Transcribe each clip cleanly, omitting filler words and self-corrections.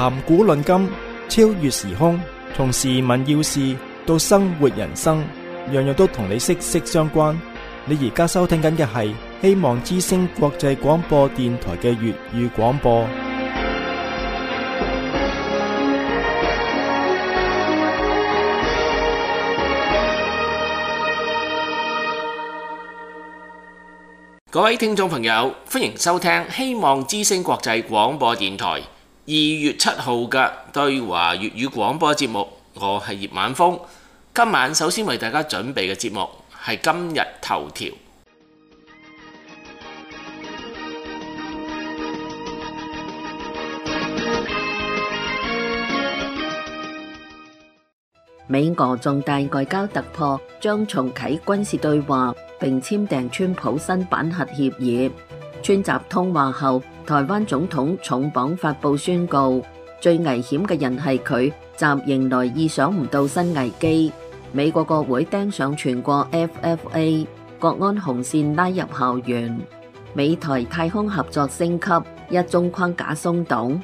談古論今，超越時空，從時聞要事到生活人生，樣樣都同你息息相關。你而家收聽緊嘅係希望之聲國際廣播電台嘅粵語廣播。各位聽眾朋友，歡迎收聽希望之聲國際廣播電台2月7號嘅對華粵語廣播節目。我係葉晚風。今晚首先為大家準備嘅節目係今日頭條。美俄重大外交突破，將重啟軍事對話，並簽訂川普新版核協議。川習通話後，台灣總統重磅發布宣告，最危險嘅人係佢，習迎來意想唔到新危機。美國國會釘上全國 FFA 國安紅線拉入校園。美台太空合作升級，一中框架鬆動。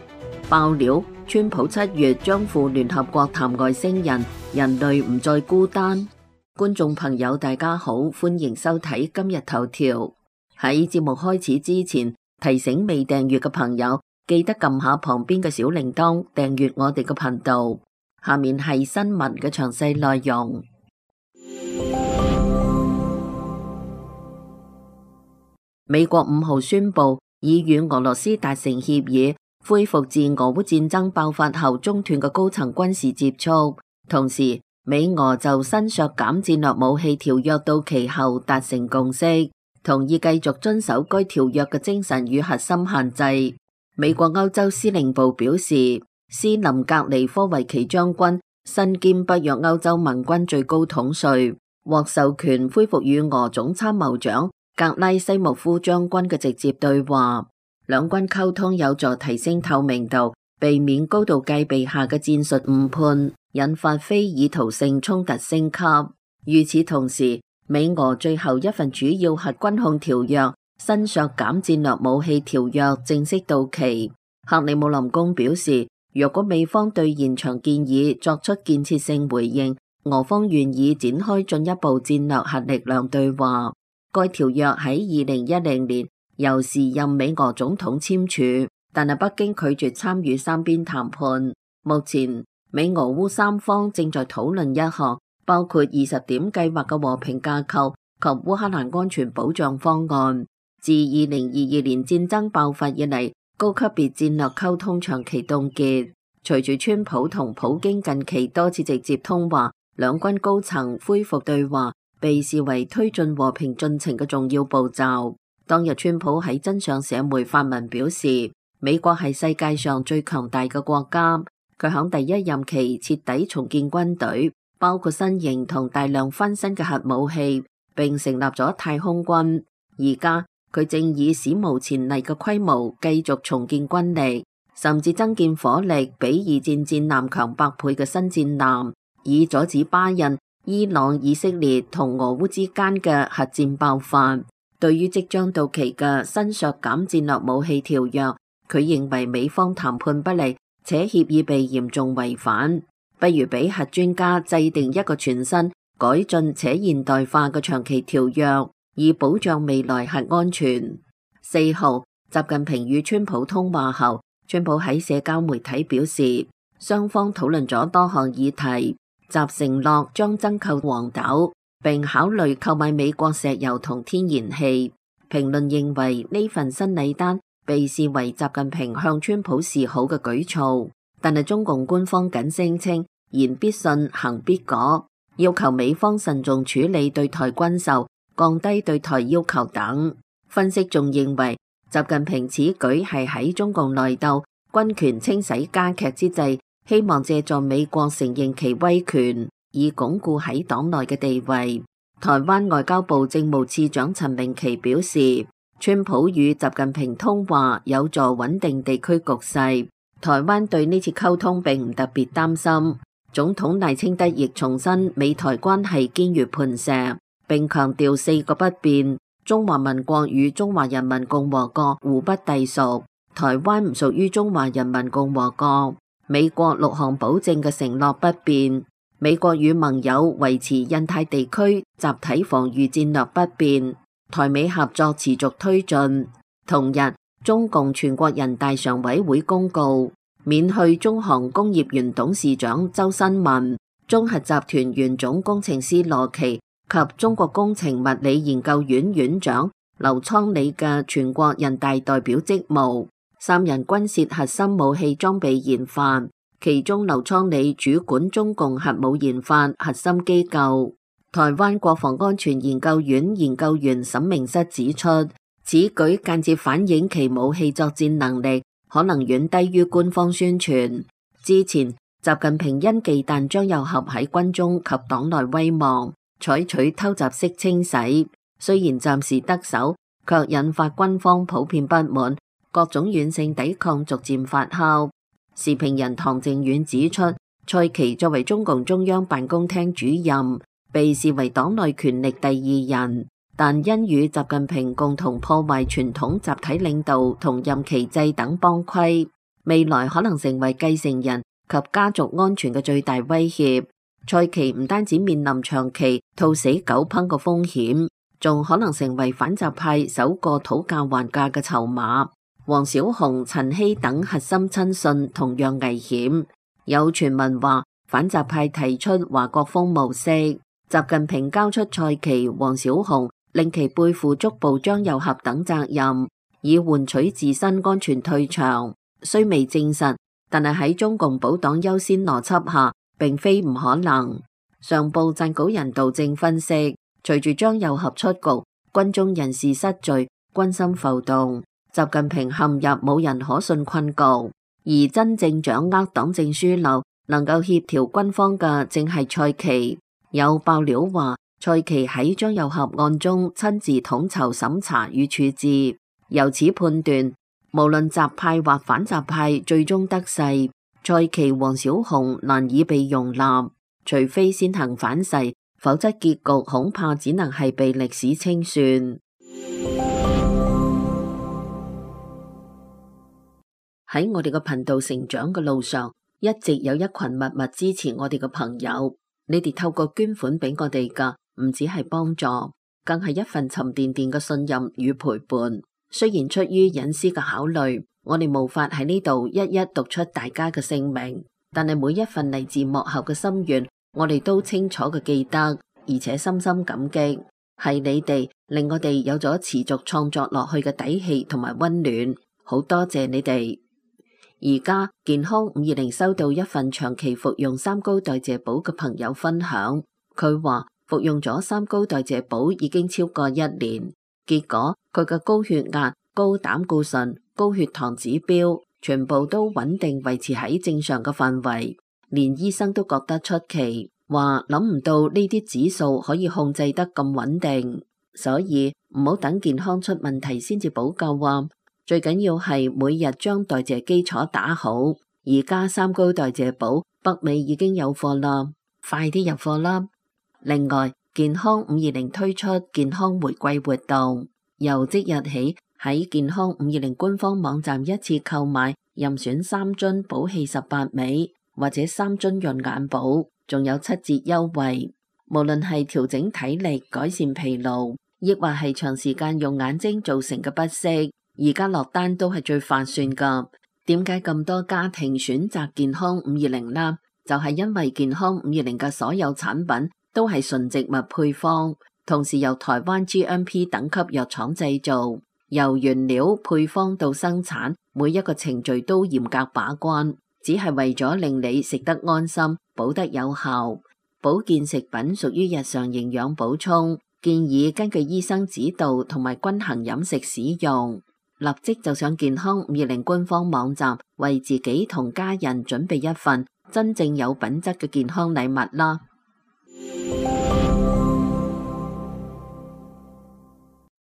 爆料，川普7月將赴聯合國談外星人，人類唔再孤單。觀眾朋友大家好，歡迎收睇今日頭條。喺節目開始之前，提醒未訂閱嘅朋友記得撳下旁邊嘅小鈴鐺，訂閱我哋嘅頻道。下面係新聞嘅詳細內容。美國5號宣布已與俄羅斯達成協議，恢復自俄烏戰爭爆發後中斷嘅高層軍事接觸。同時，美俄就新削減戰略武器條約到期後達成共識，同意繼續遵守該條約嘅精神與核心限制。美國歐洲司令部表示，斯林格尼科維奇將軍身兼北約歐洲盟軍最高統帥，獲授權恢復與俄總參謀長格拉西莫夫將軍嘅直接對話。兩軍溝通有助提升透明度，避免高度戒備下嘅戰術誤判，引發非意圖性衝突升級。與此同時，美俄最後一份主要核軍控條約新削減戰略武器條約正式到期。克里姆林宮表示，若果美方對現場建議作出建設性回應，俄方願意展開進一步戰略核力量對話。該條約喺2010年由時任美俄總統簽署，但係北京拒絕參與三邊談判。目前美俄烏三方正在討論一項包括20點計劃嘅和平架構及烏克蘭安全保障方案。自2022年戰爭爆發以嚟，高級別戰略溝通長期凍結。隨住川普同普京近期多次直接通話，兩軍高層恢復對話被視為推進和平進程嘅重要步驟。當日川普喺真相社媒發文表示，美國係世界上最強大嘅國家。佢響第一任期徹底重建軍隊，包括新型同大量翻新嘅核武器，並成立咗太空軍。而家佢正以史無前例嘅規模繼續重建軍力，甚至增建火力比二戰戰艦強100倍嘅新戰艦，以阻止巴印、伊朗、以色列同俄烏之間嘅核戰爆發。對於即將到期嘅新削減戰略武器條約，佢認為美方談判不力，且協議被嚴重違反，不如俾核專家制定一個全新、改進且現代化嘅長期條約，以保障未來核安全。4號，習近平與川普通話後，川普喺社交媒體表示，雙方討論咗多項議題，習承諾將增購黃豆，並考慮購買美國石油同天然氣。評論認為呢份新禮單被視為習近平向川普示好嘅舉措，但係中共官方僅聲稱言必信，行必果，要求美方慎重處理對台軍售，降低對台要求等。分析仲認為，習近平此舉係喺中共內鬥、軍權清洗加劇之際，希望借助美國承認其威權，以鞏固喺黨內嘅地位。台灣外交部政務次長陳明奇表示，川普與習近平通話有助穩定地區局勢，台灣對呢次溝通並唔特別擔心。總統賴清德亦重申美台關係堅如磐石，並強調4個不變：中華民國與中華人民共和國互不隸屬，台灣唔屬於中華人民共和國。美國6項保證嘅承諾不變，美國與盟友維持印太地區集體防禦戰略不變，台美合作持續推進。同日，中共全國人大常委會公告，免去中航工業原董事長周新文、中核集團原總工程師羅奇及中國工程物理研究院院長劉倉里嘅全國人大代表職務。三人均涉核心武器裝備研發，其中劉倉里主管中共核武研發核心機構。台灣國防安全研究院研究員沈明室指出，此舉間接反映其武器作戰能力可能遠低於官方宣傳。之前習近平因忌憚張又俠喺軍中及黨內威望，採取偷襲式清洗，雖然暫時得手，卻引發軍方普遍不滿，各種軟性抵抗逐漸發酵。時評人唐靖遠指出，蔡奇作為中共中央辦公廳主任，被視為黨內權力第二人，但因與習近平共同破壞傳統集體領導同任期制等幫規，未來可能成為繼承人及家族安全嘅最大威脅。蔡奇唔單止面臨長期兔死狗烹嘅風險，仲可能成為反習派首個討價還價嘅籌碼。王小洪、陳希等核心親信同樣危險。有傳聞話反習派提出華國鋒模式，習近平交出蔡奇、王小洪，令其背負捉捕張又俠等責任，以換取自身安全退場。雖未證實，但係喺中共保黨優先邏輯下，並非唔可能。上報撰稿人杜正分析，隨住張又俠出局，軍中人事失序，軍心浮動，習近平陷入冇人可信困局，而真正掌握黨政樞紐，能夠協調軍方嘅正係蔡奇。有爆料話，蔡奇喺張又俠案中親自統籌審查與處置，由此判斷，無論習派或反習派最終得勢，蔡奇、王小洪難以被容納，除非先行反噬，否則結局恐怕只能係被歷史清算。喺我哋嘅頻道成長嘅路上，一直有一群默默支持我哋嘅朋友，你哋透過捐款俾我哋噶，唔只係幫助，更係一份沉甸甸嘅信任與陪伴。雖然出於隱私嘅考慮，我哋無法喺呢度一一讀出大家嘅姓名，但係每一份嚟自幕後嘅心願，我哋都清楚嘅記得，而且深深感激。係你哋令我哋有咗持續創作落去嘅底氣同埋溫暖，好多謝你哋。而家健康520收到一份長期服用三高代謝寶嘅朋友分享，佢話服用咗三高代謝寶已經超過1年，結果佢嘅高血壓、高膽固醇、高血糖指標全部都穩定維持喺正常嘅範圍，連醫生都覺得出奇，話諗唔到呢啲指數可以控制得咁穩定，所以唔好等健康出問題先至補救啊！最緊要係每日將代謝基礎打好。而家三高代謝寶北美已經有貨啦，快啲入貨啦！另外，健康520推出健康回饋活動，由即日起喺健康520官方網站一次購買任選3樽寶氣18味或者3樽潤眼寶，仲有7折優惠。無論係調整體力、改善疲勞，亦或係長時間用眼睛造成嘅不適，而家落單都係最划算噶。點解咁多家庭選擇健康520呢？就係因為健康520嘅所有產品都係純植物配方，同時由台灣 GMP 等級藥廠製造，由原料配方到生產，每一個程序都嚴格把關，只係為咗令你食得安心，補得有效。保健食品屬於日常營養補充，建議根據醫生指導同埋均衡飲食使用。立即就上健康520官方網站，為自己同家人準備一份真正有品質嘅健康禮物啦！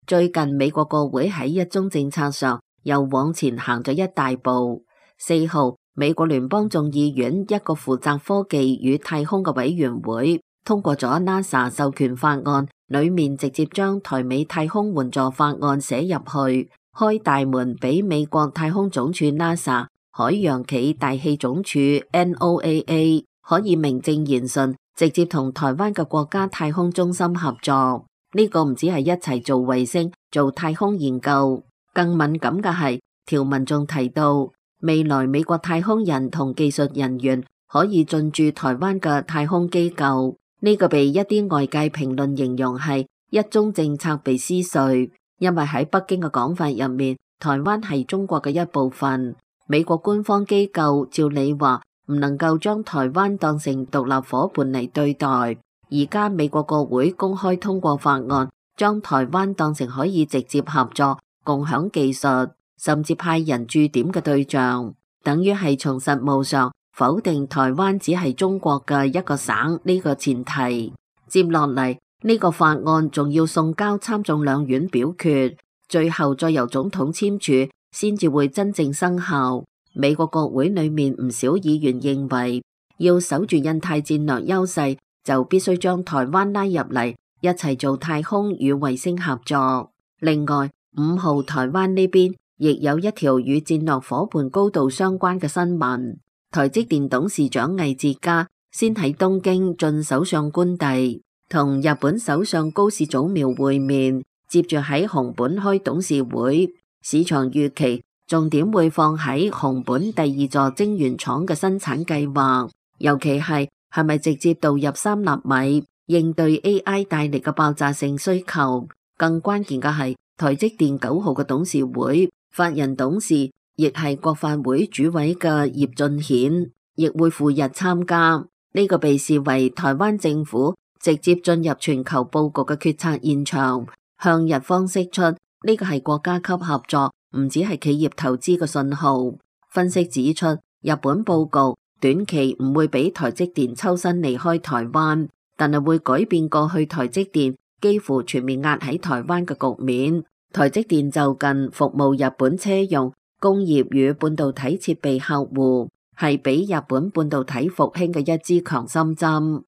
最近美國國會喺一宗政策上又往前行咗一大步。4號，美國聯邦眾議院一個負責科技與太空嘅委員會通過咗 NASA 授權法案，裏面直接將台美太空援助法案寫入去，開大門俾美國太空總署 NASA 海洋暨大氣總署 NOAA 可以名正言順直接同台灣嘅國家太空中心合作。呢個唔止係一齊做衛星、做太空研究，更敏感嘅係條文仲提到，未來美國太空人同技術人員可以進駐台灣嘅太空機構。呢個被一啲外界評論形容係一中政策被撕碎，因為喺北京嘅講法入面，台灣係中國嘅一部分。美國官方機構照理話唔能夠將台灣當成獨立夥伴嚟對待。而家美國國會公開通過法案，將台灣當成可以直接合作、共享技術，甚至派人駐點嘅對象，等於係從實務上否定台灣只係中國嘅一個省呢個前提。接落嚟呢個法案仲要送交參眾兩院表決，最後再由總統簽署，先至會真正生效。美國國會裏面唔少議員認為，要守住印太戰略優勢，就必須將台灣拉入嚟，一齊做太空與衛星合作。另外，5號台灣呢邊亦有一條與戰略夥伴高度相關嘅新聞。台積電董事長魏哲家先喺東京進首相官邸，同日本首相高市早苗會面，接住喺熊本開董事會。市場預期重點會放喺熊本第2座晶圓廠嘅生產計劃，尤其係咪直接導入3納米，應對 AI 帶嚟嘅爆炸性需求。更關鍵嘅係台積電9號嘅董事會法人董事，亦係國發會主委嘅葉俊顯，亦會赴日參加。呢個被視為台灣政府直接進入全球佈局嘅決策現場，向日方釋出呢個係國家級合作，唔只係企業投資嘅信號。分析指出，日本佈局短期唔會俾台積電抽身離開台灣，但係會改變過去台積電幾乎全面壓喺台灣嘅局面。台積電就近服務日本車用、工業與半導體設備客戶，係俾日本半導體復興嘅一支強心針。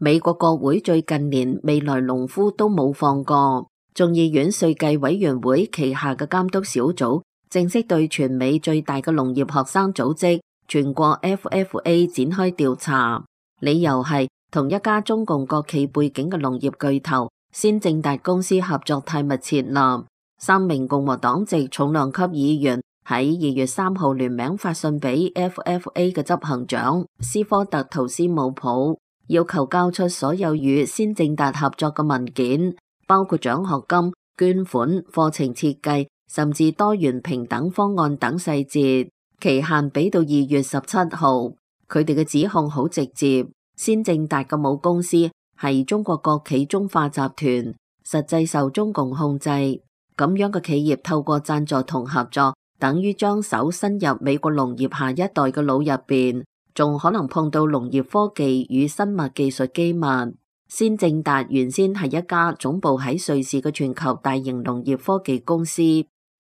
美國國會最近連未來農夫都冇放過，眾議院稅計委員會旗下嘅監督小組正式對全美最大嘅農業學生組織全國 FFA 展開調查，理由係同一家中共國企背景嘅農業巨頭先正達公司合作太密切啦。3名共和黨籍重量級議員喺2月3號聯名發信俾 FFA 嘅執行長斯科特圖斯姆普，要求交出所有與先正達合作嘅文件，包括獎學金、捐款、課程設計，甚至多元平等方案等細節。期限俾到2月17號。佢哋嘅指控好直接，先正達嘅母公司係中國國企中化集團，實際受中共控制。咁樣嘅企業透過贊助同合作，等於將手伸入美國農業下一代嘅腦入邊，仲可能碰到農業科技與生物技術機密。先正達原先係一家總部喺瑞士嘅全球大型農業科技公司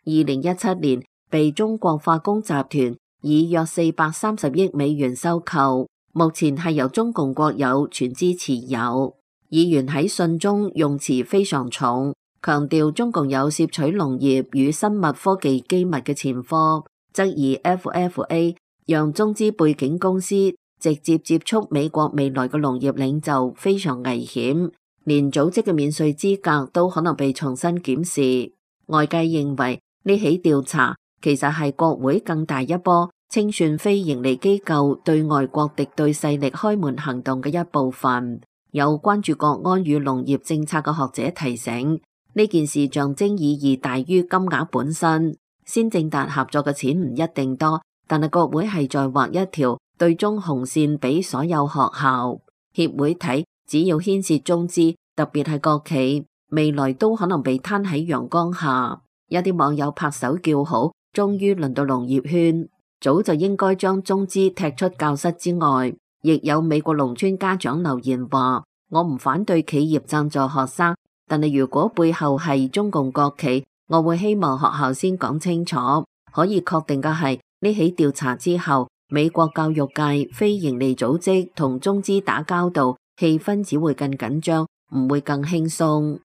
，2017年被中國化工集團以約430億美元收購，目前係由中共國有全資持有。議員喺信中用詞非常重，強調中共有竊取農業與生物科技機密嘅前科，質疑 FFA 讓中資背景公司直接接觸美國未來嘅農業領袖非常危險，連組織嘅免稅資格都可能被重新檢視。外界認為呢起調查其實係國會更大一波清算非營利機構對外國敵對勢力開門行動嘅一部分。有關注國安與農業政策嘅學者提醒，呢件事象徵意義大於金額本身。先正達合作嘅錢唔一定多，但係國會係在畫一條對中紅線俾所有學校協會睇，只要牽涉中資，特別係國企，未來都可能被攤喺陽光下。有啲網友拍手叫好，終於輪到農業圈，早就應該將中資踢出教室之外。亦有美國農村家長留言話，我唔反對企業贊助學生，但係如果背後係中共國企，我會希望學校先講清楚。可以確定嘅係，呢起調查之後，美國教育界非營利組織同中資打交道，氣氛只會更緊張，唔會更輕鬆。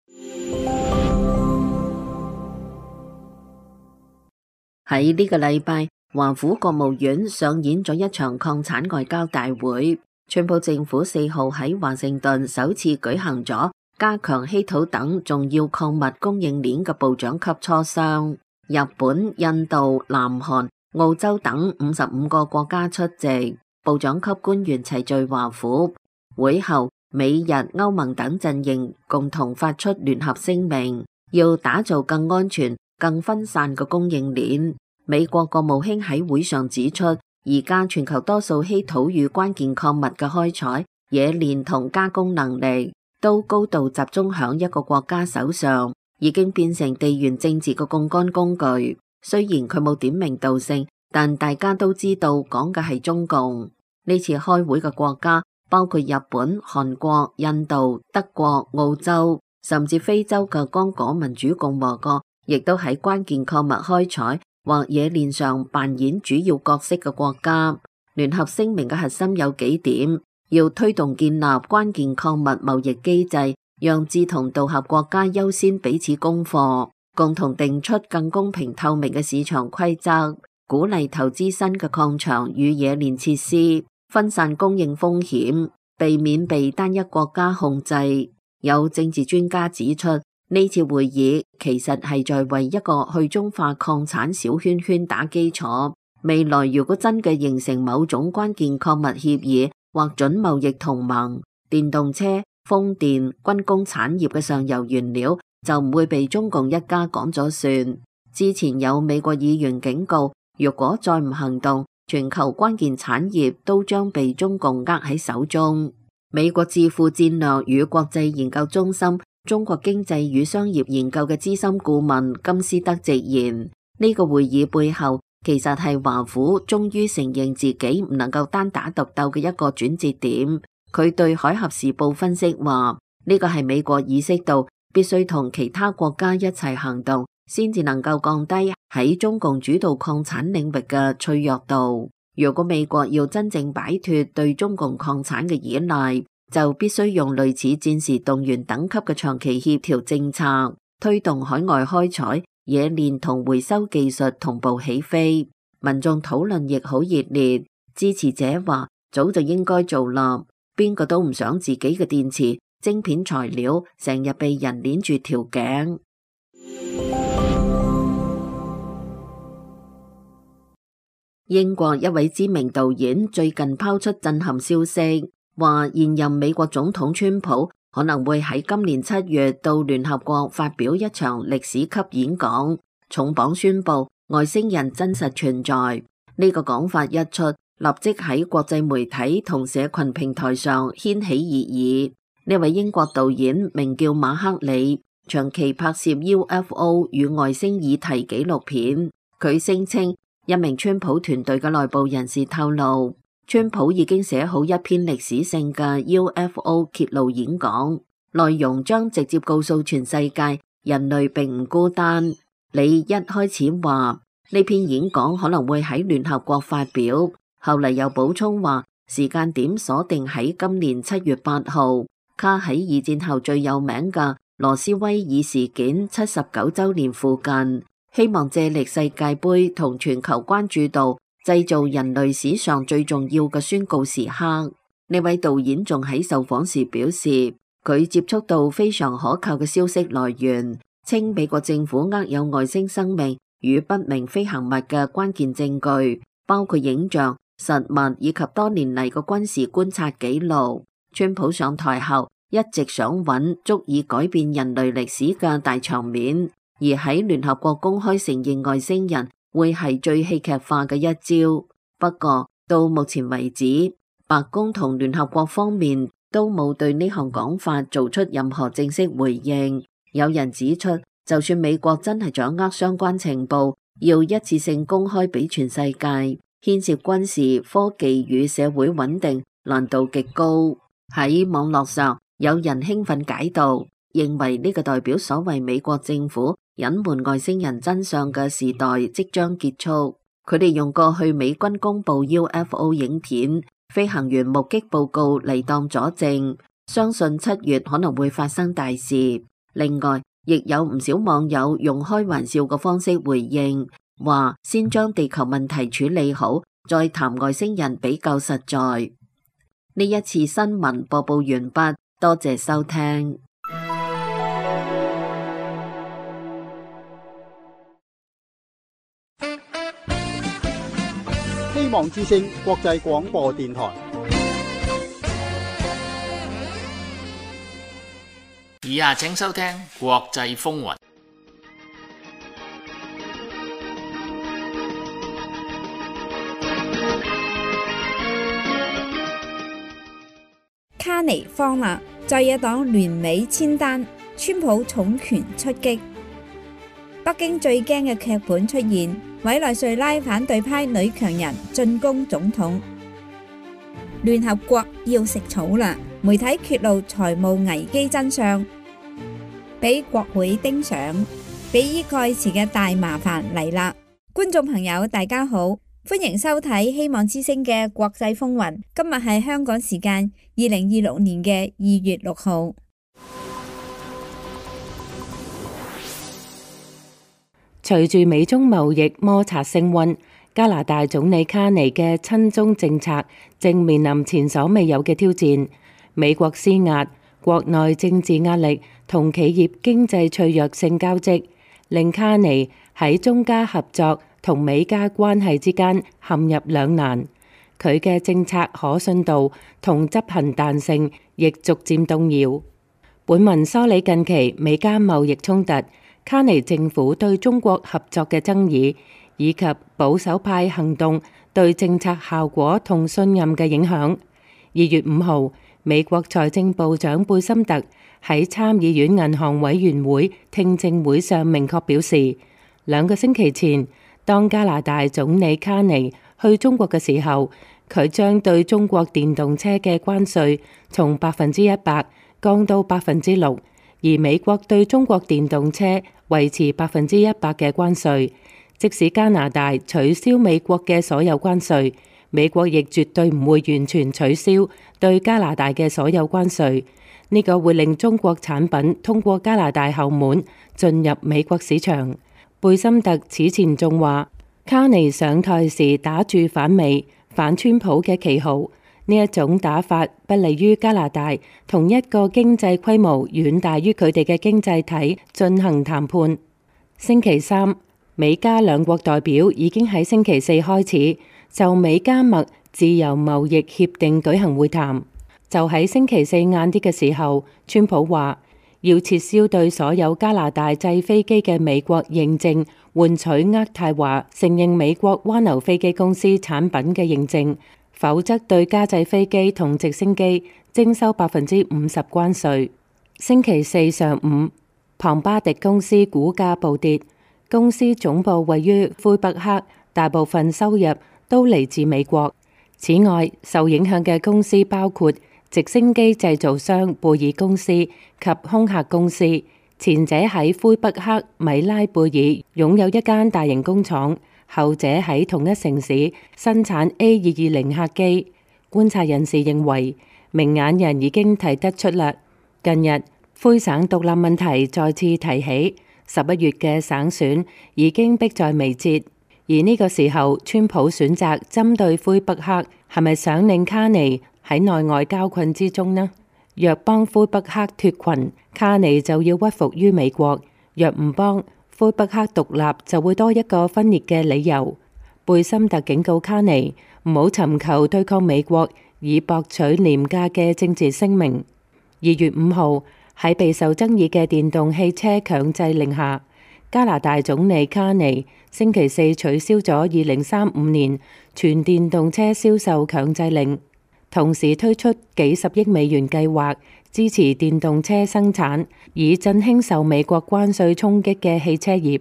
喺呢個禮拜，華府國務院上演咗一場礦產外交大會。川普政府4號喺華盛頓首次舉行咗加強稀土等重要礦物供應鏈嘅部長級磋商。日本、印度、南韓、澳洲等55個國家出席，部長級官員齊聚華府。會後，美日歐盟等陣營共同發出聯合聲明，要打造更安全、更分散嘅供應鏈。美國國務卿喺會上指出，而家全球多數稀土與關鍵礦物嘅開採、冶煉同加工能力都高度集中響一個國家手上，已經變成地緣政治嘅槓桿工具。雖然佢冇點名道姓，但大家都知道講嘅係中共。呢次開會嘅國家包括日本、韓國、印度、德國、澳洲，甚至非洲嘅剛果民主共和國，亦都喺關鍵礦物開採或冶煉上扮演主要角色嘅國家。聯合聲明嘅核心有幾點：要推動建立關鍵礦物貿易機制，讓志同道合國家優先彼此供貨，共同定出更公平透明嘅市場規則，鼓勵投資新嘅礦場與冶煉設施，分散供應風險，避免被單一國家控制。有政治專家指出，呢次會議其實係在為一個去中化礦產小圈圈打基礎。未來如果真嘅形成某種關鍵礦物協議或準貿易同盟，電動車、風電、軍工產業嘅上游原料就唔會被中共一家講咗算。之前有美國議員警告，如果再唔行動，全球關鍵產業都將被中共握喺手中。美國智庫戰略與國際研究中心中國經濟與商業研究嘅資深顧問金斯德直言，呢個會議背後其實係華府終於承認自己唔能夠單打獨鬥嘅一個轉折點。佢對海峽時報分析話，呢個係美國意識到必須同其他國家一齊行動，先至能夠降低喺中共主導礦產領域嘅脆弱度。如果美國要真正擺脫對中共礦產嘅依賴，就必須用類似戰時動員等級嘅長期協調政策，推動海外開採、冶煉同回收技術同步起飛。民眾討論亦好熱烈，支持者話早就應該做啦，邊個都唔想自己嘅電池、晶片材料成日被人鏈住條頸。英國一位知名導演最近拋出震撼消息，話現任美國總統川普可能會喺今年7月到聯合國發表一場歷史級演講，重磅宣布外星人真實存在。呢個講法一出，立即喺國際媒體同社群平台上掀起熱議。呢位英國導演名叫馬克里，長期拍攝 UFO 與外星議題紀錄片。佢聲稱一名川普團隊嘅內部人士透露，川普已經寫好一篇歷史性嘅 UFO 揭露演講，內容將直接告訴全世界人類並唔孤單。你一開始話呢篇演講可能會喺聯合國發表，後嚟又補充話時間點鎖定喺今年7月8號，卡喺二戰後最有名嘅羅斯威爾事件79週年附近，希望借力世界盃同全球關注度，製造人類史上最重要嘅宣告時刻。呢位導演仲喺受訪時表示，佢接觸到非常可靠嘅消息來源，稱美國政府握有外星生命與不明飛行物嘅關鍵證據，包括影像、實物以及多年嚟嘅軍事觀察記錄。川普上台後一直想揾足以改變人類歷史嘅大場面，而喺聯合國公開承認外星人會係最戲劇化嘅一招。不過到目前為止，白宮同聯合國方面都冇對呢項講法做出任何正式回應。有人指出，就算美國真係掌握相關情報，要一次性公開俾全世界，牽涉軍事、科技與社會穩定，難度極高。喺網絡上，有人興奮解讀，認為呢個代表所謂美國政府隱瞞外星人真相嘅時代即將結束。佢哋用過去美軍公布 UFO 影片、飛行員目擊報告嚟當佐證，相信7月可能會發生大事。另外，亦有唔少網友用開玩笑嘅方式回應，話先將地球問題處理好，再談外星人比較實在。呢一次新聞播報完畢，多謝收聽。希望之聲國際廣播電台。以下請收聽國際風雲。卡尼慌啦，在野黨聯美簽單，川普重拳出擊。北京最驚嘅劇本出現，委內瑞拉反對派女強人進攻總統。聯合國要食草啦，媒體揭露財務危機真相，俾國會盯上，比爾蓋茨嘅大麻煩嚟啦！觀眾朋友大家好，歡迎收睇希望之聲嘅國際風雲。今日係香港時間2026年嘅2月6號。隨住美中貿易摩擦升溫，加拿大總理卡尼嘅親中政策正面臨前所未有嘅挑戰。美國施壓、國內政治壓力同企業經濟脆弱性交織，令卡尼喺中加合作同美加關係之間陷入兩難。佢嘅政策可信度同執行彈性亦逐漸動搖。本文梳理近期美加貿易衝突、卡尼政府對中國合作嘅爭議，以及保守派行動對政策效果同信任嘅影響。2月5號，美國財政部長貝森特喺參議院銀行委員會聽證會上明確表示，2個星期前，當加拿大總理卡尼去中國嘅時候，佢將對中國電動車嘅關稅從100%降到6%。而美國對中國電動車維持100%嘅關稅，即使加拿大取消美國嘅所有關稅，美國亦絕對唔會完全取消對加拿大嘅所有關稅。呢個會令中國產品通過加拿大後門進入美國市場。貝森特此前仲話，卡尼上台時打住反美、反川普嘅旗號。呢一種打法不利於加拿大同一個經濟規模遠大於佢哋嘅經濟體進行談判。星期三，美加兩國代表已經喺星期四開始就美加墨自由貿易協定舉行會談。就喺星期四晏啲嘅時候，川普話要撤銷對所有加拿大製飛機嘅美國認證，換取渥太華承認美國灣流飛機公司產品嘅認證。否則對加製飛機同直升機徵收50%關稅。星期四上午，龐巴迪公司股價暴跌，公司總部位於魁北克，大部分收入都嚟自美國。此外，受影響嘅公司包括直升機製造商貝爾公司及空客公司，前者喺魁北克米拉貝爾擁有一間大型工廠。後者喺同一城市生產 A220 客機。觀察人士認為，明眼人已經睇得出啦。近日，魁省獨立問題再次提起，11月嘅省選已經迫在眉睫。而呢個時候，川普選擇針對魁北克，係咪想令卡尼喺內外交困之中呢？若幫魁北克脫群，卡尼就要屈服於美國；若唔幫，魁北克獨立就會多一個分裂嘅理由。貝森特警告卡尼唔好尋求對抗美國以博取廉價嘅政治聲名。2月5號，喺備受爭議嘅電動汽車強制令下，加拿大總理卡尼星期四取消咗2035年全電動車銷售強制令，同時推出幾十億美元計劃支持電動車生產，以振興受美國關稅衝擊嘅汽車業。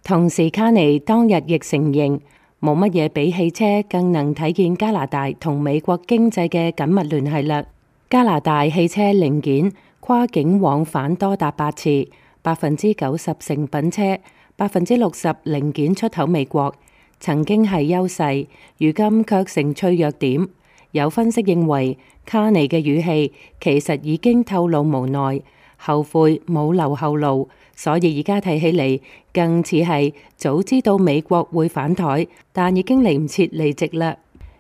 同時，卡尼當日亦承認冇乜嘢比汽車更能體現加拿大同美國經濟嘅緊密聯繫啦。加拿大汽車零件跨境往返多達8次，90%成品車，60%零件出口美國，曾經係優勢，如今卻成脆弱點。有分析認為，卡尼嘅語氣其實已經透露無奈，後悔冇留後路，所以而家睇起嚟更似係早知道美國會反台，但已經嚟唔切離席啦。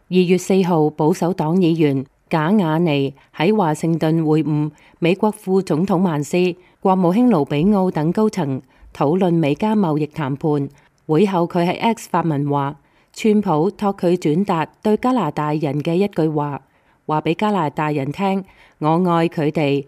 2月4號，保守黨議員賈雅尼喺華盛頓會晤美國副總統曼斯、國務卿盧比奧等高層，討論美加貿易談判。會後佢喺 X 發文話，川普託佢轉達對加拿大人嘅一句話，話俾加拿大人聽，我愛佢哋。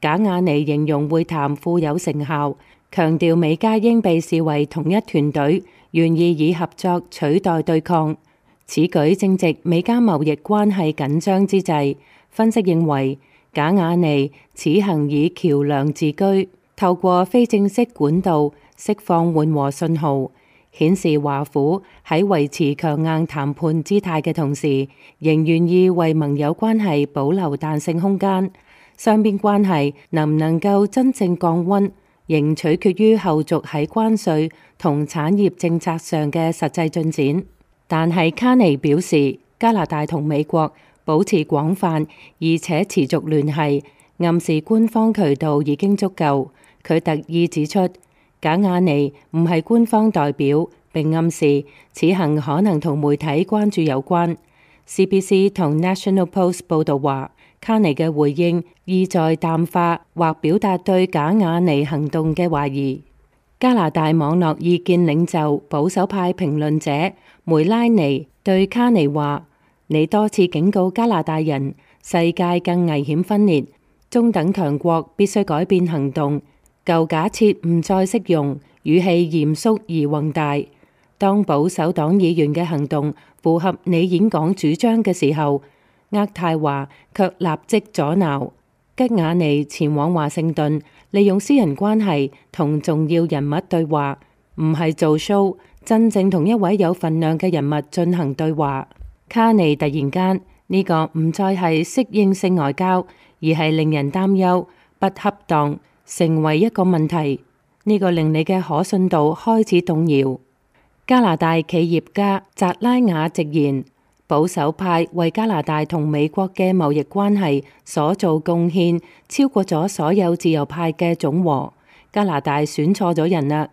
賈雅尼形容會談富有成效，強調美加應被視為同一團隊，願意以合作取代對抗。此舉正值美加貿易關係緊張之際。分析認為，賈雅尼此行以橋樑自居，透過非正式管道釋放緩和信號，顯示華府喺維持強硬談判姿態嘅同時，仍願意為盟友關係保留彈性空間。雙邊關係能唔能夠真正降溫，仍取決於後續喺關稅同產業政策上嘅實際進展。但係卡尼表示，加拿大同美國保持廣泛而且持續聯繫，暗示官方渠道已經足夠。佢特意指出，賈雅尼唔係官方代表，並暗示此行可能同媒體關注有關。CBC 同 National Post 報導話，卡尼嘅回應意在淡化或表達對賈雅尼行動嘅懷疑。加拿大網絡意見領袖保守派評論者梅拉尼對卡尼話，你多次警告加拿大人，世界更危險分裂，中等強國必須改變行動，舊假設唔再適用，語氣嚴肅而宏大。當保守黨議員嘅行動符合你演講主張嘅時候，渥太華卻立即阻撓。吉雅尼前往華盛頓，利用私人關係同重要人物對話，唔係做 show，真正同一位有份量嘅人物進行對話。卡尼突然間呢個唔再係適應性外交，而係令人擔憂、不恰當，成為一個問題。呢個令你嘅可信度開始動搖。加拿大企業家扎拉雅直言，保守派為加拿大同美國嘅貿易關係所做貢獻超過咗所有自由派嘅總和。加拿大選錯咗人啦。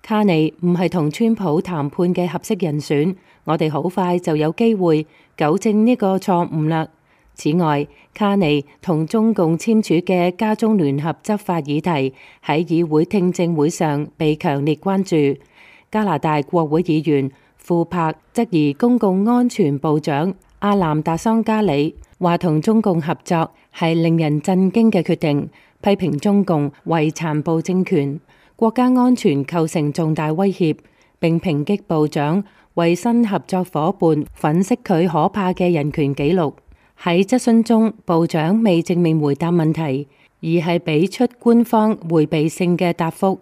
卡尼唔係同川普談判嘅合適人選，我哋好快就有機會糾正呢個錯誤啦。此外，卡尼同中共簽署嘅加中聯合執法議題喺議會聽證會上被強烈關注。加拿大國會議員庫柏質疑公共安全部長阿南達桑加里，話同中共合作係令人震驚嘅決定，批評中共為殘暴政權，國家安全構成重大威脅，並抨擊部長為新合作夥伴粉飾佢可怕嘅人權紀錄。喺質詢中，部長未正面回答問題，而係俾出官方迴避性嘅答覆，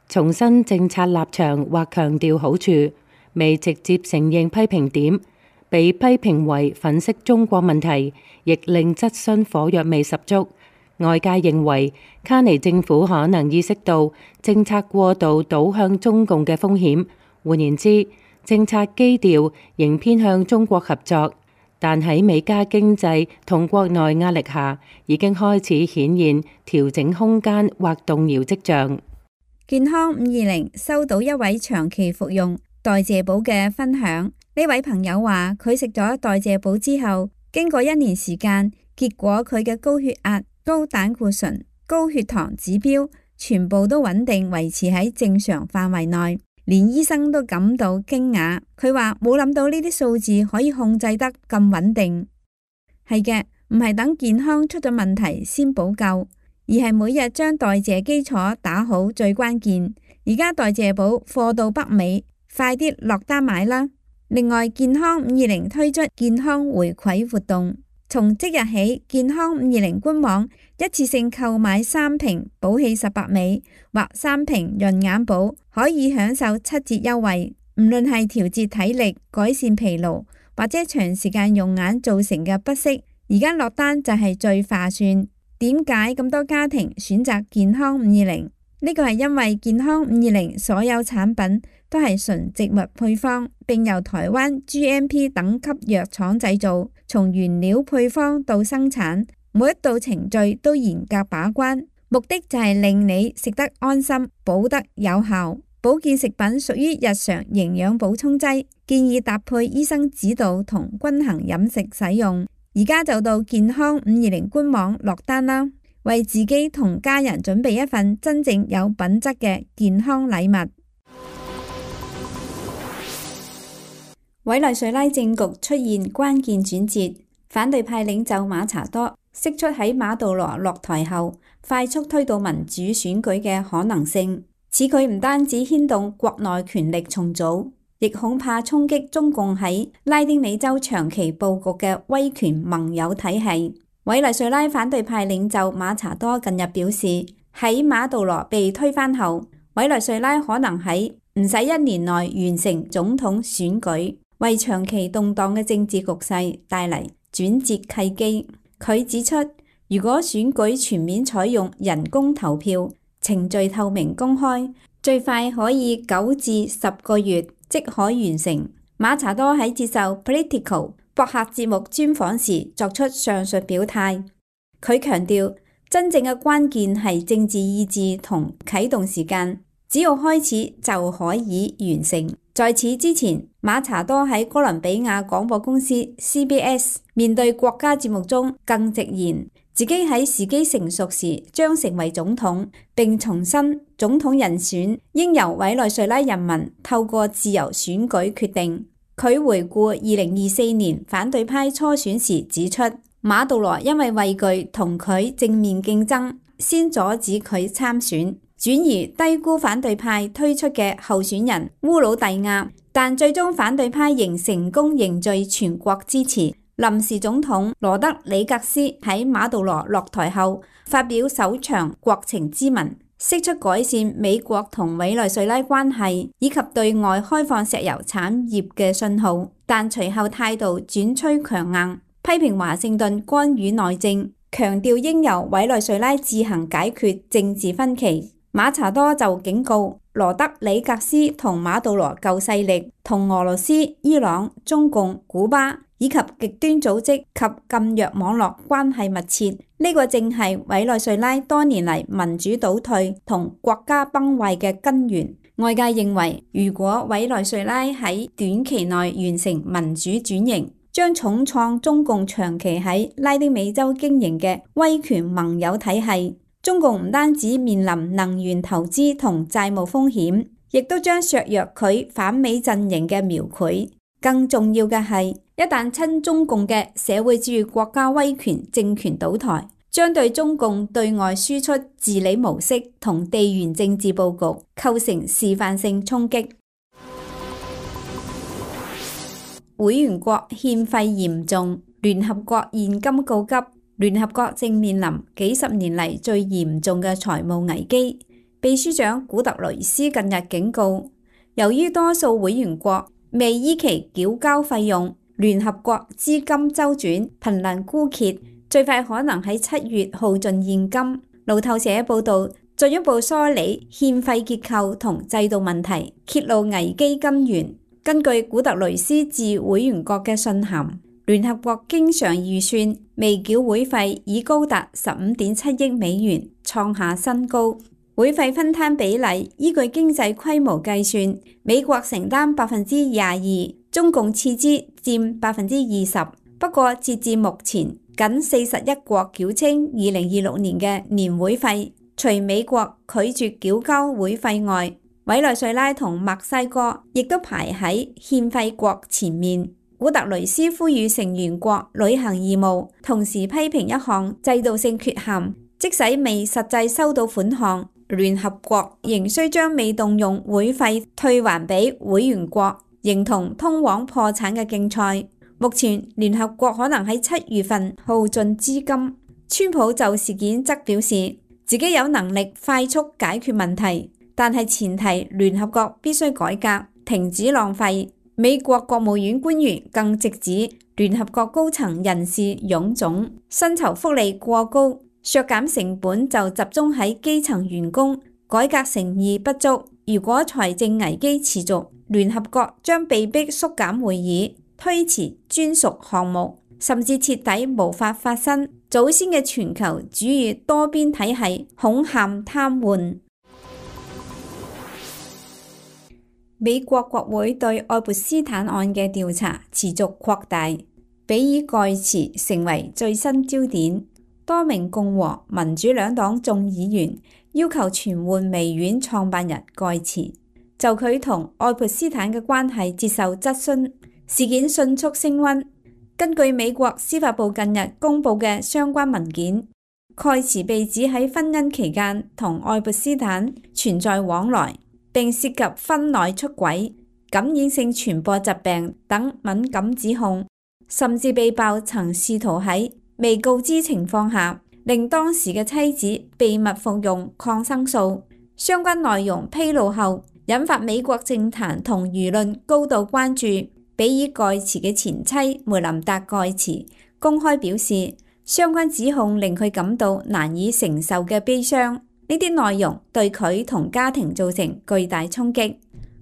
重申政策立場或強調好處，未直接承認批評點，被批評為粉飾中國問題，亦令質詢火藥味十足。外界認為卡尼政府可能意識到政策過度倒向中共嘅風險，換言之，政策基調仍偏向中國合作，但喺美加經濟同國內壓力下，已經開始顯現調整空間或動搖跡象。健康520收到一位長期服用代謝寶嘅分享，呢位朋友話佢食咗代謝寶之後，經過1年時間，結果佢嘅高血壓、高膽固醇、高血糖指標全部都穩定維持喺正常範圍內，連醫生都感到驚訝。佢話冇諗到呢啲數字可以控制得咁穩定。係嘅，唔係等健康出咗問題先補救，而係每日將代謝基礎打好最關鍵。而家代謝寶貨到北美，快啲落單買啦！另外，健康520推出健康回饋活動，從即日起，健康520官網一次性購買3瓶寶氣18美或3瓶潤眼寶，可以享受7折優惠。唔論係調節體力、改善疲勞或者長時間用眼造成嘅不適，而家落單就係最划算。點解咁多家庭選擇健康520？呢個係因為健康520所有產品都係純植物配方，並由台灣 GMP 等級藥廠製造，從原料配方到生產，每一道程序都嚴格把關，目的就係令你食得安心，補得有效。保健食品屬於日常營養補充劑，建議搭配醫生指導同均衡飲食使用。而家就到健康520官網落單啦，為自己同家人準備一份真正有品質嘅健康禮物。委內瑞拉政局出現關鍵轉折，反對派領袖馬查多釋出喺馬杜羅落台後快速推動民主選舉嘅可能性。此舉唔單止牽動國內權力重組，亦恐怕衝擊中共喺拉丁美洲長期佈局嘅威權盟友體系。委內瑞拉反對派領袖馬查多近日表示，喺馬杜羅被推翻後，委內瑞拉可能喺唔使1年內完成總統選舉，為長期動盪嘅政治局勢帶嚟轉折契機。佢指出，如果選舉全面採用人工投票，程序透明公開，最快可以9至10個月即可完成。馬查多喺接受 Politico 博客節目專訪時作出上述表態。佢強調，真正嘅關鍵係政治意志同啟動時間，只要開始就可以完成。在此之前，馬查多喺哥倫比亞廣播公司 CBS 面對國家節目中更直言，自己喺時機成熟時將成為總統，並重申總統人選應由委內瑞拉人民透過自由選舉決定。佢回顧2024年反對派初選時指出，馬杜羅因為畏懼同佢正面競爭，先阻止佢參選，轉而低估反對派推出嘅候選人烏魯蒂亞，但最終反對派仍成功凝聚全國支持。臨時總統羅德里格斯喺馬杜羅落台後發表首場國情咨文，釋出改善美國同委內瑞拉關係以及對外開放石油產業嘅信號，但隨後態度轉趨強硬，批評華盛頓干預內政，強調應由委內瑞拉自行解決政治分歧。馬查多就警告羅德里格斯同馬杜羅舊勢力同俄羅斯、伊朗、中共、古巴以及極端組織及禁藥網絡關係密切，呢個正係委內瑞拉多年嚟民主倒退同國家崩壞嘅根源。外界認為，如果委內瑞拉喺短期內完成民主轉型，將重創中共長期喺拉丁美洲經營嘅威權盟友體系。中共唔單止面臨能源投資同債務風險，亦都將削弱佢反美陣營嘅描繪。更重要嘅係，一旦親中共嘅社會主義國家威權政權倒台，將對中共對外輸出治理模式同地緣政治佈局構成示範性衝擊。會員國欠費嚴重，聯合國現金告急。聯合國正面臨幾十年嚟最嚴重嘅財務危機。秘書長古特雷斯近日警告，由於多數會員國未依期繳交費用，聯合國資金周轉瀕臨枯竭，最快可能喺7月耗盡現金。路透社報道，進一步梳理欠費結構同制度問題，揭露危機根源。根據古特雷斯致會員國嘅信函，聯合國經常預算未繳會費已高達15.7億美元，創下新高。會費分攤比例依據經濟規模計算，美國承擔22%，中共次之佔20%。不過截至目前，僅41國繳清2026年嘅年會費，除美國拒絕繳交會費外，委內瑞拉同墨西哥亦都排喺欠費國前面。古特雷斯呼籲成員國履行義務，同時批評一項制度性缺陷，即使未實際收到款項，聯合國仍需將未動用會費退還俾會員國，形同通往破產嘅競賽。目前聯合國可能喺7月份耗盡資金。川普就事件則表示，自己有能力快速解決問題，但係前提聯合國必須改革，停止浪費。美國國務院官員更直指聯合國高層人事臃腫，薪酬福利過高，削減成本就集中喺基層員工，改革誠意不足。如果財政危機持續，聯合國將被迫縮減會議，推遲專屬項目，甚至徹底無法發生祖先嘅全球主義多邊體系恐陷癱瘓。美國國會對愛潑斯坦案嘅調查持續擴大，比爾蓋茨成為最新焦點。多名共和、民主兩黨眾議員要求傳喚微軟創辦人蓋茨，就佢同愛潑斯坦嘅關係接受質詢。事件迅速升溫。根據美國司法部近日公布嘅相關文件，蓋茨被指喺婚姻期間同愛潑斯坦存在往來，並涉及婚內出軌、感染性傳播疾病等敏感指控，甚至被曝曾試圖喺未告知情況下令當時嘅妻子秘密服用抗生素。相關內容披露後，引發美國政壇同輿論高度關注。比爾蓋茨嘅前妻梅琳達蓋茨公開表示，相關指控令佢感到難以承受嘅悲傷。呢啲內容對佢同家庭造成巨大衝擊。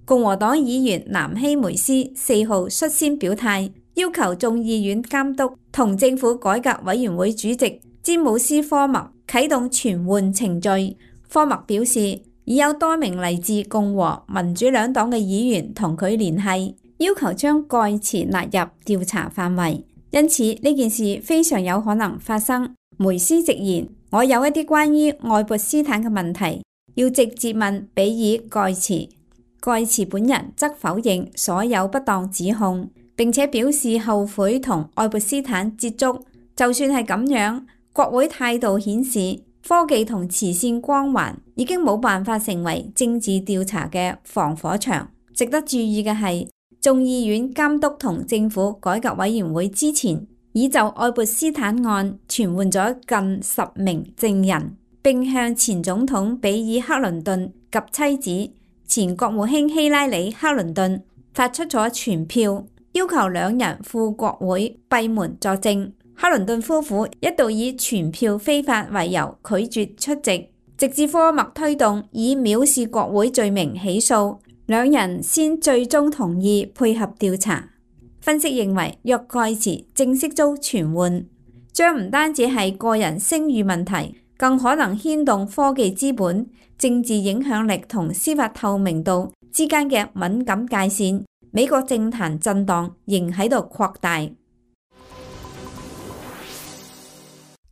共和黨議員南希梅斯4號率先表態，要求眾議院監督同政府改革委員會主席詹姆斯科默啟動傳喚程序。科默表示，已有多名嚟自共和、民主兩黨嘅議員同佢聯繫，要求將蓋茨納入調查範圍，因此呢件事非常有可能發生。梅斯直言，我有一啲關於愛潑斯坦嘅問題要直接問比爾蓋茨。蓋茨本人則否認所有不當指控，並且表示後悔同愛潑斯坦接觸。就算係咁樣，國會態度顯示科技同慈善光環已經冇辦法成為政治調查嘅防火牆。值得注意嘅係，眾議院監督同政府改革委員會之前已就愛潑斯坦案傳喚咗近10名證人，並向前總統比爾克倫頓及妻子前國務卿希拉里克倫頓發出咗傳票，要求兩人赴國會閉門作證。克倫頓夫婦一度以傳票非法為由拒絕出席，直至科默推動以藐視國會罪名起訴，兩人先最終同意配合調查。分析認為，若蓋茨正式遭傳喚，將唔單止係個人聲譽問題，更可能牽動科技資本、政治影響力同司法透明度之間嘅敏感界線。美國政壇震盪仍喺度擴大。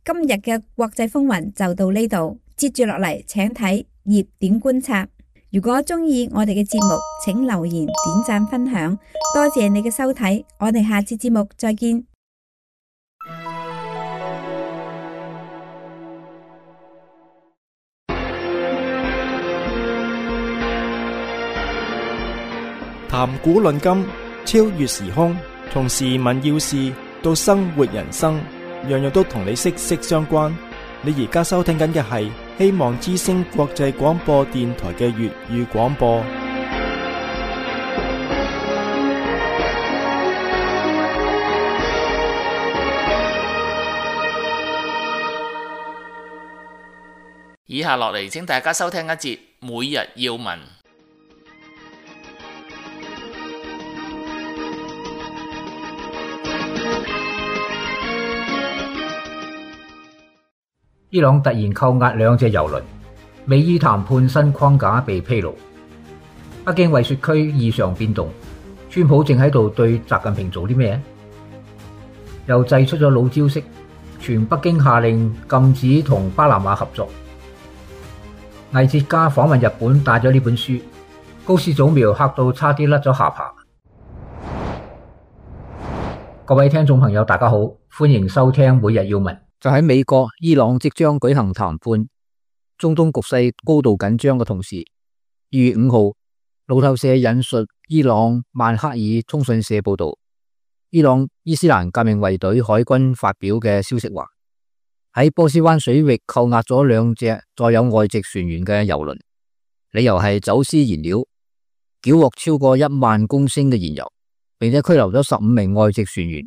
今日嘅國際風雲就到呢度，接住落嚟請睇熱點觀察。如果鍾意我哋嘅節目，請留言、點讚、分享，多謝你嘅收睇，我哋下次節目再見。談古論今，超越時空，從時聞要事到生活人生，樣樣都同你息息相關。你而家收聽緊嘅係希望之聲國際廣播電台嘅粵語廣播。以下落嚟，請大家收聽一節每日要聞。伊朗突然扣押兩隻油輪，美伊談判新框架被披露。北京惠雪區異常變動，川普正喺度對習近平做啲咩？又祭出咗老招式，全北京下令禁止同巴拿馬合作。藝術家訪問日本帶咗呢本書，高市早苗嚇到差啲甩咗下巴。各位聽眾朋友大家好，歡迎收聽每日要聞。就喺美國、伊朗即將舉行談判，中東局勢高度緊張嘅同時，2月5號，路透社引述伊朗曼克爾通訊社報道，伊朗伊斯蘭革命衛隊海軍發表嘅消息話，喺波斯灣水域扣押咗兩隻載有外籍船員嘅油輪，理由係走私燃料，繳獲超過1萬公升嘅燃油，並且拘留咗15名外籍船員。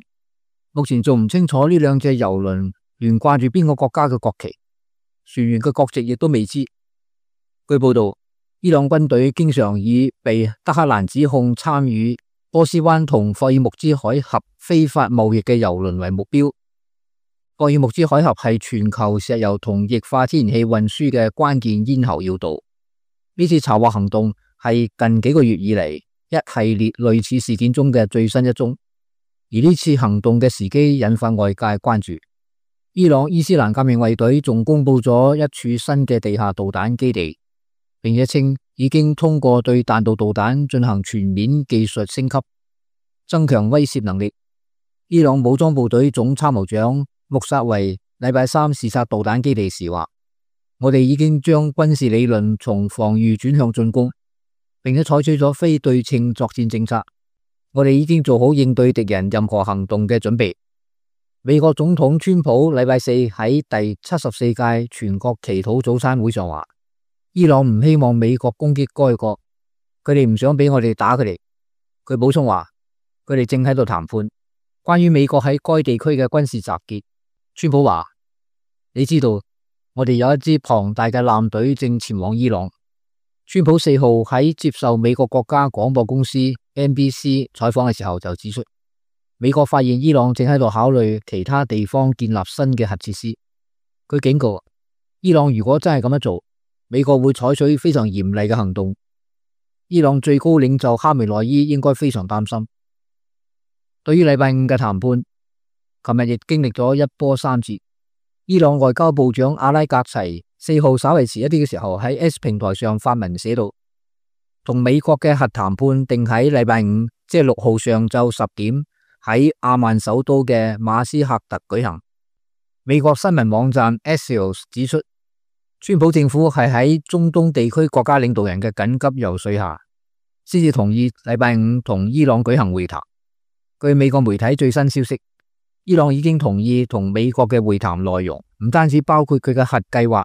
目前仲唔清楚呢兩隻油輪懸掛住邊個國家嘅國旗，船員嘅國籍亦都未知。據報道，伊朗軍隊經常以被德黑蘭指控參與波斯灣同霍爾木茲海峽非法貿易嘅油輪為目標。霍爾木茲海峽係全球石油同液化天然氣運輸嘅關鍵咽喉要道。呢次查獲行動係近幾個月以嚟一系列類似事件中嘅最新一宗，而呢次行動嘅時機引發外界關注。伊朗伊斯蘭革命衛隊仲公布咗一處新嘅地下導彈基地，並且稱已經通過對彈道導彈進行全面技術升級，增強威懾能力。伊朗武裝部隊總參謀長穆薩維禮拜三視察導彈基地時話：我哋已經將軍事理論從防禦轉向進攻，並且採取咗非對稱作戰政策。我哋已經做好應對敵人任何行動嘅準備。美國總統川普禮拜四喺第74屆全國祈禱早餐會上話：伊朗唔希望美國攻擊該國，佢哋唔想俾我哋打佢哋。佢補充話：佢哋正喺度談判關於美國喺該地區嘅軍事集結。川普話：你知道我哋有一支龐大嘅艦隊正前往伊朗。川普4號喺接受美國國家廣播公司 NBC 採訪嘅時候就指出，美國發現伊朗正喺度考慮其他地方建立新嘅核設施。佢警告，伊朗如果真係咁樣做，美國會採取非常嚴厲嘅行動。伊朗最高領袖哈梅內伊應該非常擔心。對於禮拜五嘅談判，琴日亦經歷咗一波三折。伊朗外交部長阿拉格齊4號稍為遲一啲嘅時候喺 S 平台上發文寫到，同美國嘅核談判定喺禮拜五，即係6號上晝10點喺阿曼首都嘅馬斯喀特舉行。美國新聞網站 Axios 指出，川普政府係喺中東地區國家領導人嘅緊急游說下，先至同意禮拜五同伊朗舉行會談。據美國媒體最新消息，伊朗已經同意同美國嘅會談內容，唔單止包括佢嘅核計劃，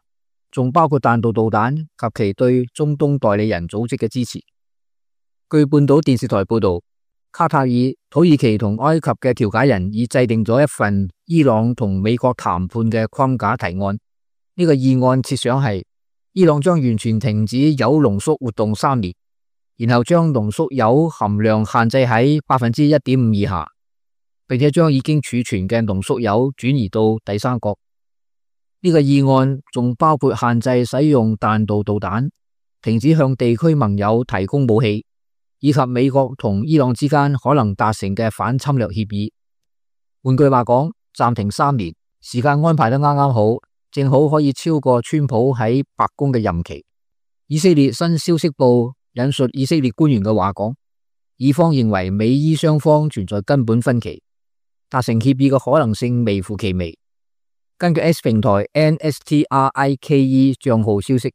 仲包括彈道導彈及其對中東代理人組織嘅支持。據半島電視台報道，卡塔爾、土耳其同埃及嘅調解人已制定咗一份伊朗同美國談判嘅框架提案。呢個議案設想係伊朗將完全停止鈾濃縮活動3年，然後將濃縮鈾含量限制喺 1.5% 以下，並且將已經儲存嘅濃縮鈾轉移到第三國。呢個議案仲包括限制使用彈道導彈，停止向地區盟友提供武器，以及美國同伊朗之間可能達成嘅反侵略協議。換句話講，暫停3年，時間安排得啱啱好，正好可以超過川普喺白宮嘅任期。以色列新消息報引述以色列官員嘅話講，以方認為美伊雙方存在根本分歧，達成協議嘅可能性微乎其微。根據 S 平台 NSTRIKE 賬號消息，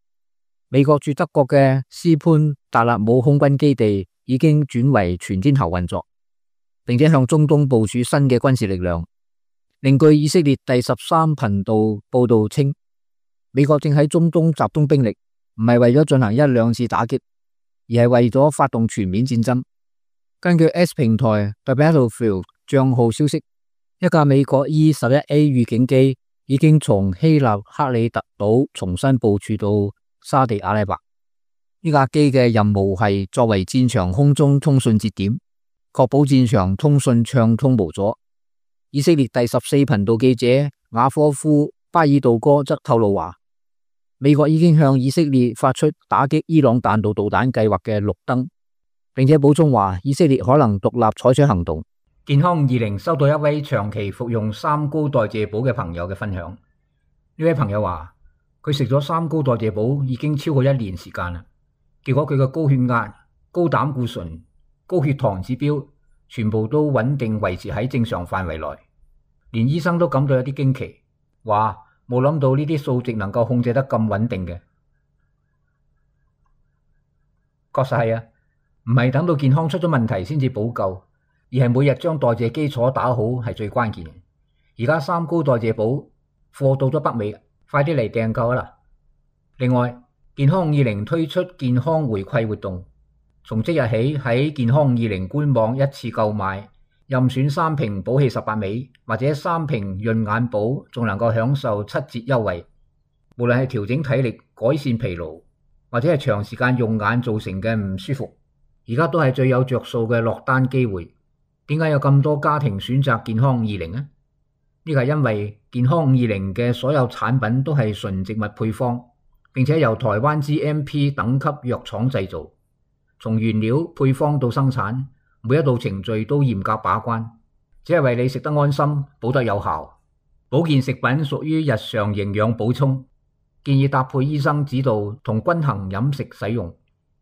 美國駐德國嘅斯潘達勒姆空軍基地已經轉為全天候運作，並且向中東部署新嘅軍事力量。另據以色列第13頻道報道稱，美國正喺中東集中兵力，唔係為咗進行1-2次打擊，而係為咗發動全面戰爭。根據 S 平台 The Battlefield 賬號消息，一架美國 E-11A 預警機已經從希臘克里特島重新部署到沙地阿拉伯。呢架機嘅任務係作為戰場空中通訊節點，確保戰場通訊暢通無阻。以色列第14頻道記者雅科夫巴爾杜哥則透露話，美國已經向以色列發出打擊伊朗彈道導彈計劃嘅綠燈，並且補充話以色列可能獨立採取行動。健康20收到一位長期服用三高代謝寶嘅朋友嘅分享。呢位朋友話佢食咗三高代謝寶已經超過1年時間啦，結果佢嘅高血壓、高膽固醇、高血糖指標全部都穩定維持喺正常範圍內，連醫生都感到有啲驚奇，話冇諗到呢啲數值能夠控制得咁穩定嘅。確實係啊，唔係等到健康出咗問題先至補救，而係每日將代謝基礎打好係最關鍵嘅。而家三高代謝寶貨到咗北美，快啲嚟訂購啦！另外，健康50推出健康回饋活動，從即日起喺健康50官網一次購買，任選3瓶寶氣18味或者3瓶潤眼寶，仲能夠享受7折優惠。無論係調整體力、改善疲勞，或者係長時間用眼造成嘅唔舒服，而家都係最有着數嘅落單機會。點解有咁多家庭選擇健康20呢？呢個係因為健康50嘅所有產品都係純植物配方，並且由台灣 GMP 等級藥廠製造，從原料配方到生產，每一道程序都嚴格把關，只係為你食得安心，保得有效。保健食品屬於日常營養補充，建議搭配醫生指導同均衡飲食使用。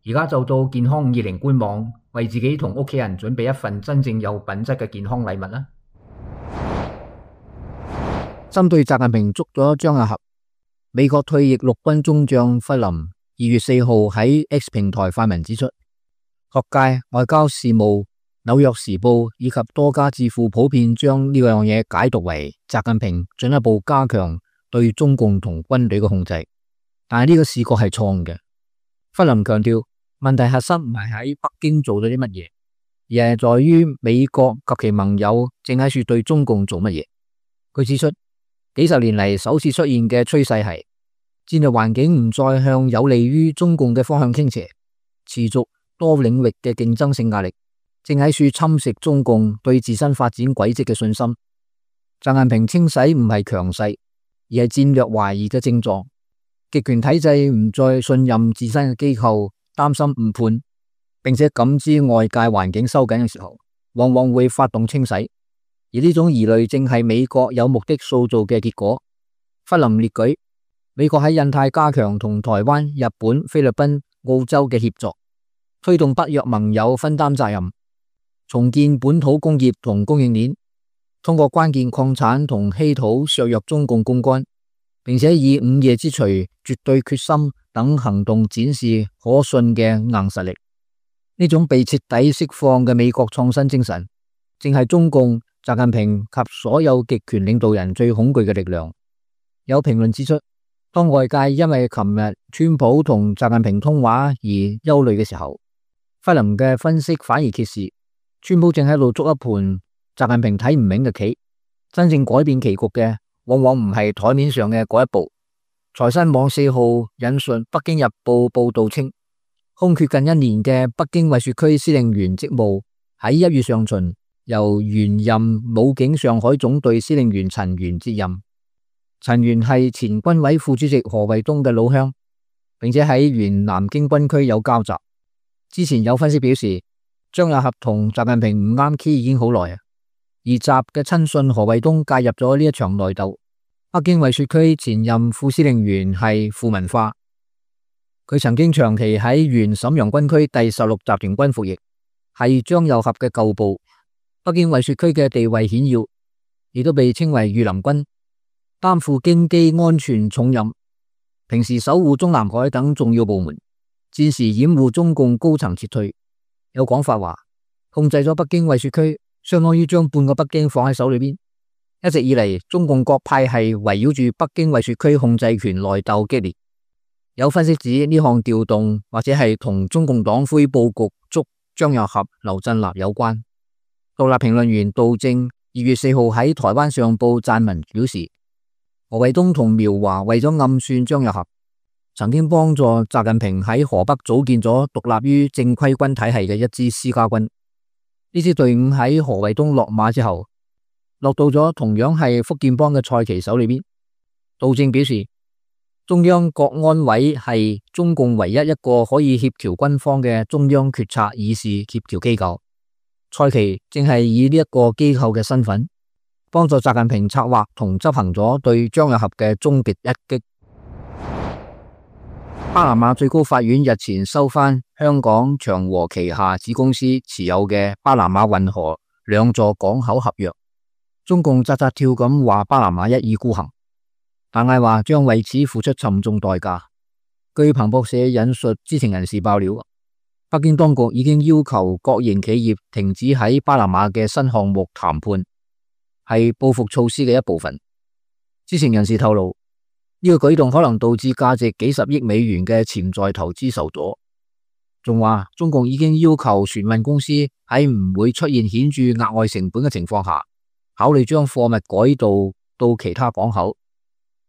而家就到健康50官網，為自己同屋企人準備一份真正有品質嘅健康禮物啦。針對習近平捉咗張亞合，美國退役陸軍中將弗林2月4號喺 X 平台發文指出，學界、外交事務、紐約時報以及多家智庫普遍將呢樣嘢解讀為習近平進一步加強對中共同軍隊嘅控制，但係呢個視覺係錯誤嘅。弗林強調，問題核心唔係喺北京做咗啲乜嘢，而係在於美國及其盟友正喺處對中共做乜嘢。佢指出，幾十年嚟首次出現嘅趨勢係戰略環境唔再向有利於中共嘅方向傾斜，持續多領域嘅競爭性壓力正喺處侵蝕中共對自身發展軌跡嘅信心。習近平清洗唔係強勢，而係戰略懷疑嘅症狀。極權體制唔再信任自身嘅機構，擔心誤判，並且感知外界環境收緊嘅時候，往往會發動清洗。而呢種疑慮正係美國有目的塑造嘅結果。弗林列舉，美國喺印太加強同台灣、日本、菲律賓、澳洲嘅協作，推動北約盟友分擔責任，重建本土工業同供應鏈，通過關鍵礦產同稀土削弱中共槓桿，並且以午夜之錘、絕對決心等行動展示可信嘅硬實力。呢種被徹底釋放嘅美國創新精神，正係中共、習近平及所有極權領導人最恐懼嘅力量。有評論指出，當外界因為琴日川普同習近平通話而憂慮嘅時候，弗林嘅分析反而揭示，川普正喺度捉一盤習近平睇唔明嘅棋。真正改變棋局嘅，往往唔係台面上嘅嗰一步。財新網4號引述北京日報報道稱，空缺近1年嘅北京衛戍區司令員職務喺1月上旬由原任武警上海總隊司令員陳元接任。陳元係前軍委副主席何衛東嘅老鄉，並且喺原南京軍區有交集。之前有分析表示，張亞合同習近平唔啱 key 已經好耐，而習嘅親信何衛東介入咗呢一場內鬥。北京衛戍區前任副司令員係傅文化，佢曾經長期喺原瀋陽軍區第16集團軍服役，係張又俠嘅舊部。北京衛戍區嘅地位顯要，亦都被稱為御林軍，擔負京畿安全重任，平時守護中南海等重要部門，戰時掩護中共高層撤退。有講法話，控制咗北京衛戍區，相當於將半個北京放喺手裏邊。一直以嚟，中共各派系圍繞住北京衛戍區控制權內鬥激烈。有分析指呢項調動或者係同中共黨魁布局捉張又俠、劉振立有關。獨立評論員杜正2月4號喺台灣上報撰文表示，何衛東同苗華為咗暗算張又俠，曾經幫助習近平喺河北組建咗獨立於正規軍體系嘅一支私家軍。呢支隊伍喺何衛東落馬之後，落到咗同樣係福建幫嘅蔡奇手裏邊。杜正表示，中央國安委係中共唯一一個可以協調軍方嘅中央決策議事協調機構。蔡奇正係以呢一個機構嘅身份，幫助習近平策劃同執行咗對張又俠嘅終極一擊。巴拿馬最高法院日前收返香港長和旗下子公司持有嘅巴拿馬運河2座港口合約。中共扎扎跳咁話巴拿馬一意孤行，但係話將為此付出沉重代價。據彭博社引述知情人士爆料，北京當局已經要求國營企業停止喺巴拿馬嘅新項目談判，係報復措施嘅一部分。知情人士透露，呢個舉動可能導致價值幾十億美元嘅潛在投資受阻。仲話中共已經要求船運公司喺唔會出現顯著額外成本嘅情況下，考慮將貨物改道到其他港口。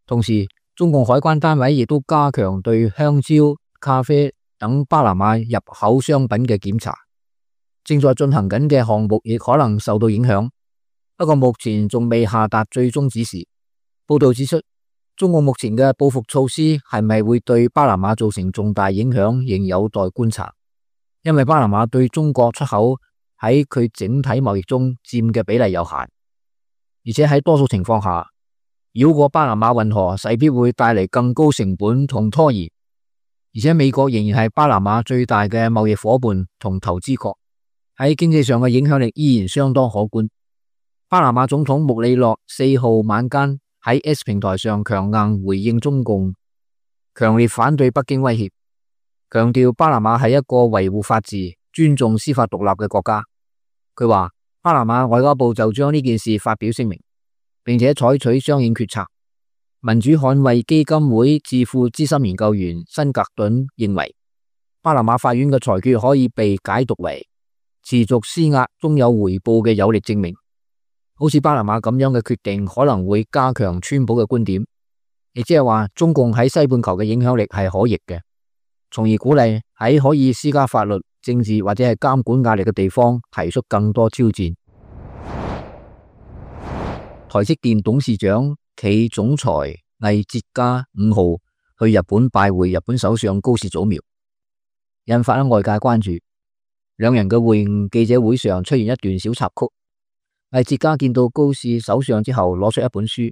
同時，中共海關單位亦都加強對香蕉、咖啡、等巴拿馬入口商品嘅檢查。正在進行緊嘅項目亦可能受到影響，不過目前仲未下達最終指示。報道指出，中共目前嘅報復措施係咪會對巴拿馬造成重大影響，仍有待觀察。因為巴拿馬對中國出口喺佢整體貿易中佔嘅比例有限，而且喺多數情況下，繞過巴拿馬運河勢必會帶嚟更高成本同拖延。而且美國仍然係巴拿馬最大嘅貿易夥伴同投資國，喺經濟上嘅影響力依然相當可觀。巴拿馬總統穆里諾4號晚間喺 X 平台上強硬回應中共，強烈反對北京威脅，強調巴拿馬係一個維護法治、尊重司法獨立嘅國家。佢話巴拿馬外交部就將呢件事發表聲明，並且採取相應決策。民主捍衛基金會智庫資深研究員辛格頓認為，巴拿馬法院嘅裁決可以被解讀為持續施壓終有回報嘅有力證明。好似巴拿馬咁樣嘅決定可能會加強川普嘅觀點，亦即係話中共喺西半球嘅影響力係可逆嘅，從而鼓勵喺可以施加法律、政治或者係監管壓力嘅地方提出更多挑戰。台積電董事長暨總裁魏哲家5號去日本拜會日本首相高市早苗，引發外界關注。兩人嘅會晤記者會上出現一段小插曲。魏哲家見到高市首相之後，攞出一本書，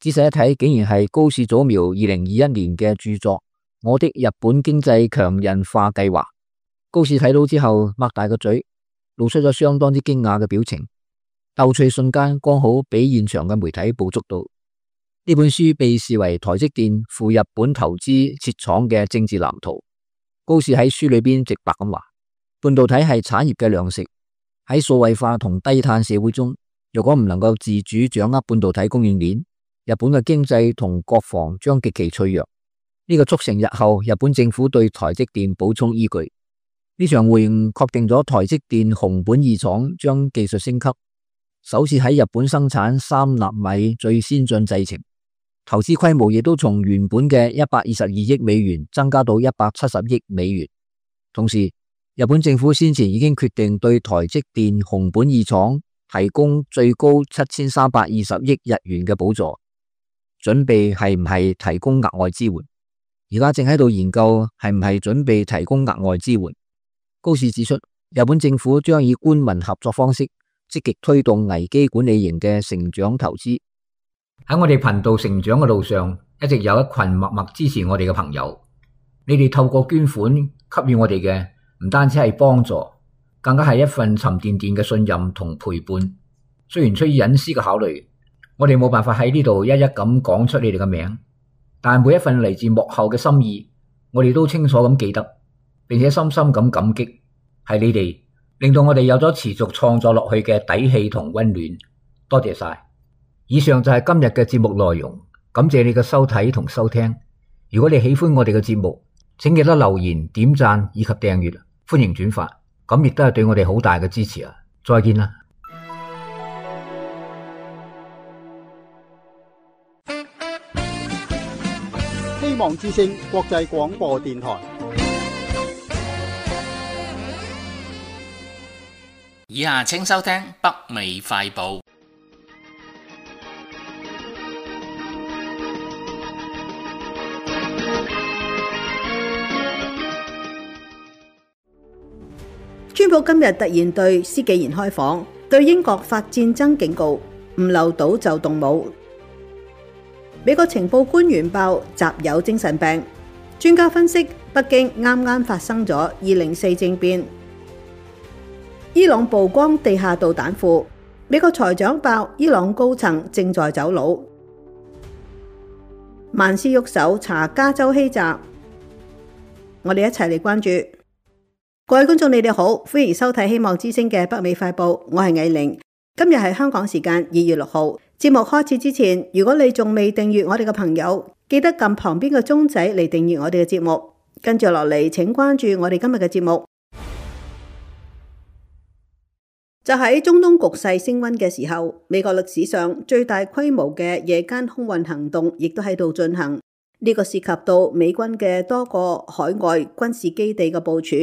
仔細一睇，竟然係高市早苗2021年嘅著作《我的日本經濟強人化計劃》。高市睇到之後，擘大個嘴，露出咗相當之驚訝嘅表情。逗趣瞬間剛好俾現場嘅媒體捕捉到。呢本書被視為台積電赴日本投資設廠嘅政治藍圖。高市喺書裏邊直白咁話，半導體係產業嘅糧食，喺數位化同低碳社會中，如果唔能夠自主掌握半導體供應鏈，日本嘅經濟同國防將極其脆弱。呢個促成日後日本政府對台積電補充依據。呢場會晤確定咗台積電熊本二廠將技術升級，首次喺日本生產3納米最先進製程，投資規模亦都從原本嘅122億美元增加到170億美元。同時，日本政府先前已經決定對台積電熊本二廠提供最高7320億日元嘅補助，準備係唔係提供額外支援。而家正喺度研究係唔係準備提供額外支援。高市指出，日本政府將以官民合作方式積極推動危機管理型嘅成長投資。喺我哋頻道成長嘅路上，一直有一群默默支持我哋嘅朋友。你哋透過捐款給予我哋嘅，唔單止係幫助，更加係一份沉甸甸嘅信任同陪伴。雖然出於隱私嘅考慮，我哋冇辦法喺呢度一一咁講出你哋嘅名，但每一份嚟自幕後嘅心意，我哋都清楚咁記得，並且深深咁感激，係你哋令到我哋有咗持續創作落去嘅底氣同溫暖。多謝晒。以上就係今日嘅節目內容，感謝你嘅收睇同收聽。如果你喜歡我哋嘅節目，請記得留言、點讚以及訂閱，歡迎轉發，咁亦都係對我哋好大嘅支持啊！再見啦！希望之聲國際廣播電台。以下請收聽北美快報。川普今日突然對施紀賢開房，對英國發戰爭警告，唔留島就動武。美國情報官員爆習有精神病，專家分析北京啱啱發生咗204政變。伊朗曝光地下導彈庫，美國財長爆伊朗高層正在走佬。萬事喐手查加州欺詐，我哋一齊嚟關注。各位觀眾，你哋好，歡迎收睇希望之聲嘅北美快報，我係藝玲。今日係香港時間2月6號。節目開始之前，如果你仲未訂閱我哋嘅朋友，記得撳旁邊嘅鐘仔嚟訂閱我哋嘅節目。跟住落嚟，請關注我哋今日嘅節目。就喺中東局勢升溫嘅時候，美國歷史上最大規模嘅夜間空運行動亦都喺度進行。呢個涉及到美軍嘅多個海外軍事基地嘅部署。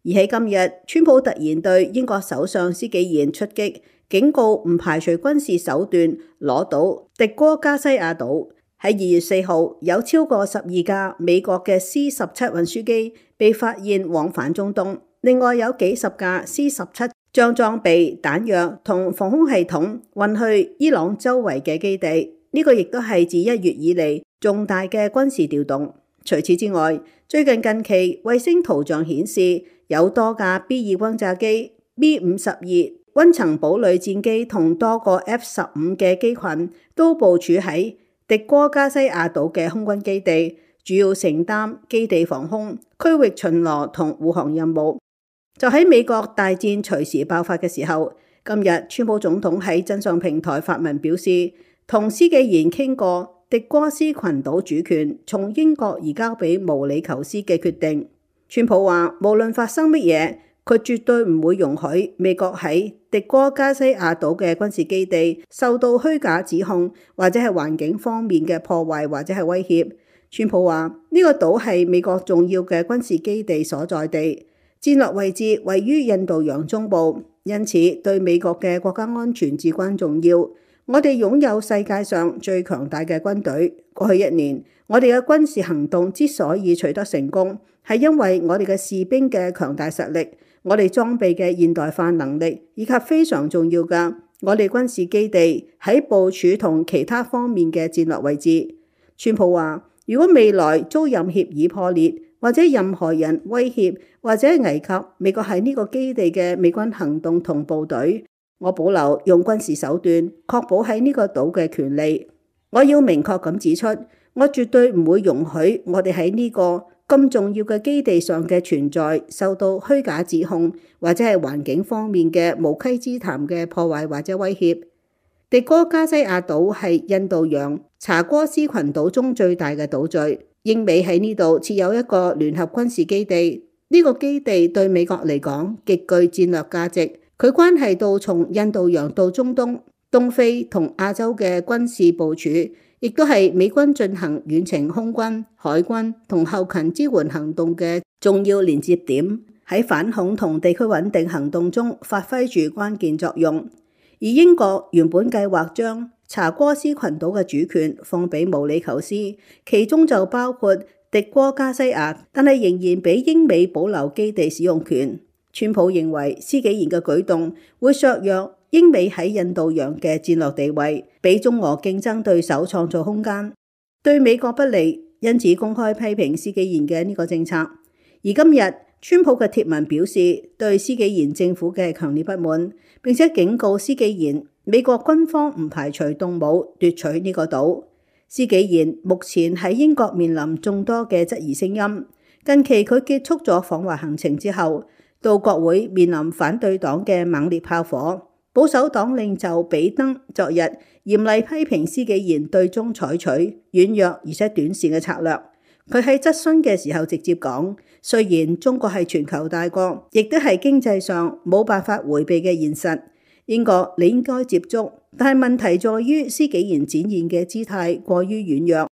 而喺今日，川普突然對英國首相施紀賢出擊，警告唔排除軍事手段攞到迪戈加西亞島。喺2月4號，有超過12架美國嘅 C-17 運輸機被發現往返中東，另外有幾十架 C-17將裝備、彈藥同防空系統運去伊朗周圍嘅基地。呢個亦都係自1月以嚟重大嘅軍事調動。除此之外，最近期衛星圖像顯示，有多架 B-2 轟炸機、B-52溫層堡壘戰機同多個 F-15嘅機群都部署喺迪戈加西亞島嘅空軍基地，主要承擔基地防空、區域巡邏同護航任務。就喺美國大戰隨時爆發嘅時候，今日川普總統喺真相平台發文表示，同施紀賢傾過迪戈斯群島主權從英國移交俾毛里求斯嘅決定。川普話，無論發生乜嘢，佢絕對唔會容許美國喺迪戈加西亞島嘅軍事基地受到虛假指控，或者係環境方面嘅破壞或者係威脅。川普話，呢個島係美國重要嘅軍事基地所在地，戰略位置位於印度洋中部，因此對美國嘅國家安全至關重要。我哋擁有世界上最強大嘅軍隊。過去1年，我哋嘅軍事行動之所以取得成功，係因為我哋嘅士兵嘅強大實力，我哋裝備嘅現代化能力，以及非常重要嘅我哋軍事基地喺部署同其他方面嘅戰略位置。川普話，如果未來遭任協議破裂，或者任何人威脅或者危及美國喺呢個基地嘅美軍行動同部隊，我保留用軍事手段確保喺呢個島嘅權利。我要明確咁指出，我絕對唔會容許我哋喺呢個咁重要嘅基地上嘅存在受到虛假指控，或者係環境方面嘅無稽之談嘅破壞或者威脅。迪戈加西亞島係印度洋查戈斯群島中最大嘅島嶼，英美喺呢度設有一個聯合軍事基地。呢個基地對美國嚟講極具戰略價值，佢關係到從印度洋到中東、東非同亞洲嘅軍事部署，亦都係美軍進行遠程空軍、海軍同後勤支援行動嘅重要連接點，喺反恐同地區穩定行動中發揮住關鍵作用。而英國原本計劃將查戈斯群島嘅主權放俾毛里求斯，其中就包括迪戈加西亞，但係仍然俾英美保留基地使用權。川普認為施紀賢嘅舉動會削弱英美喺印度洋嘅戰略地位，俾中俄競爭對手創造空間，對美國不利，因此公開批評施紀賢嘅呢個政策。而今日川普嘅貼文表示對施紀賢政府嘅強烈不滿，並且警告施紀賢美國軍方唔排除動武奪取呢個島。施紀賢目前喺英國面臨眾多嘅質疑聲音。近期佢結束咗訪華行程之後，到國會面臨反對黨嘅猛烈炮火。保守黨領袖比登昨日嚴厲批評施紀賢對中採取軟弱而且短視嘅策略。佢喺質詢嘅時候直接講，雖然中國係全球大國，亦都係經濟上冇辦法迴避嘅現實，英國你應該接觸，但係問題在於施紀賢展現嘅姿態過於軟弱。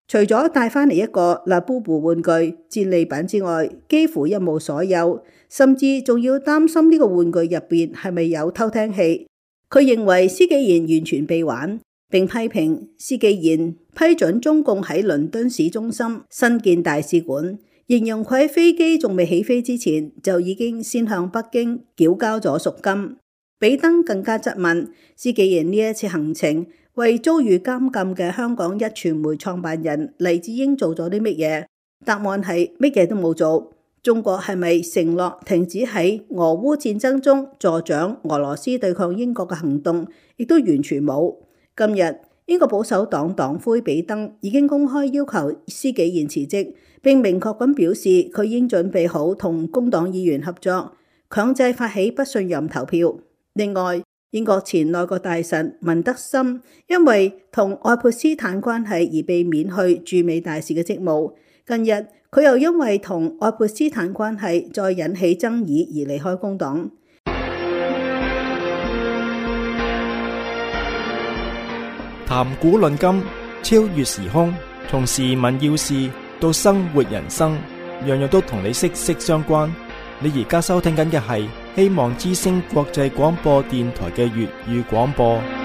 除咗帶返嚟一個拉布布玩具戰利品之外，幾乎一無所有，甚至仲要擔心呢個玩具入邊係咪有偷聽器。佢認為施紀賢完全被玩，並批評施紀賢批准中共喺倫敦市中心新建大使館，形容佢喺飛機仲未起飛之前就已經先向北京繳交咗贖金。比登更加質問施紀賢呢一次行程為遭遇監禁嘅香港壹傳媒創辦人黎智英做咗啲乜嘢？答案係乜嘢都冇做。中國係咪承諾停止喺俄烏戰爭中助長俄羅斯對抗英國嘅行動？亦都完全冇。今日英國保守黨黨魁比登已經公開要求施紀賢辭職，並明確咁表示佢已經準備好同工黨議員合作，強制發起不信任投票。另外，英國前內閣大臣文德森因為同愛潑斯坦關係而被免去駐美大使嘅職務。近日佢又因為同愛潑斯坦關係再引起爭議而離開工黨。談古論今，超越時空，從時聞要事到生活人生，樣樣都同你息息相關。你而家收聽緊嘅係希望之聲國際廣播電台嘅粵語廣播。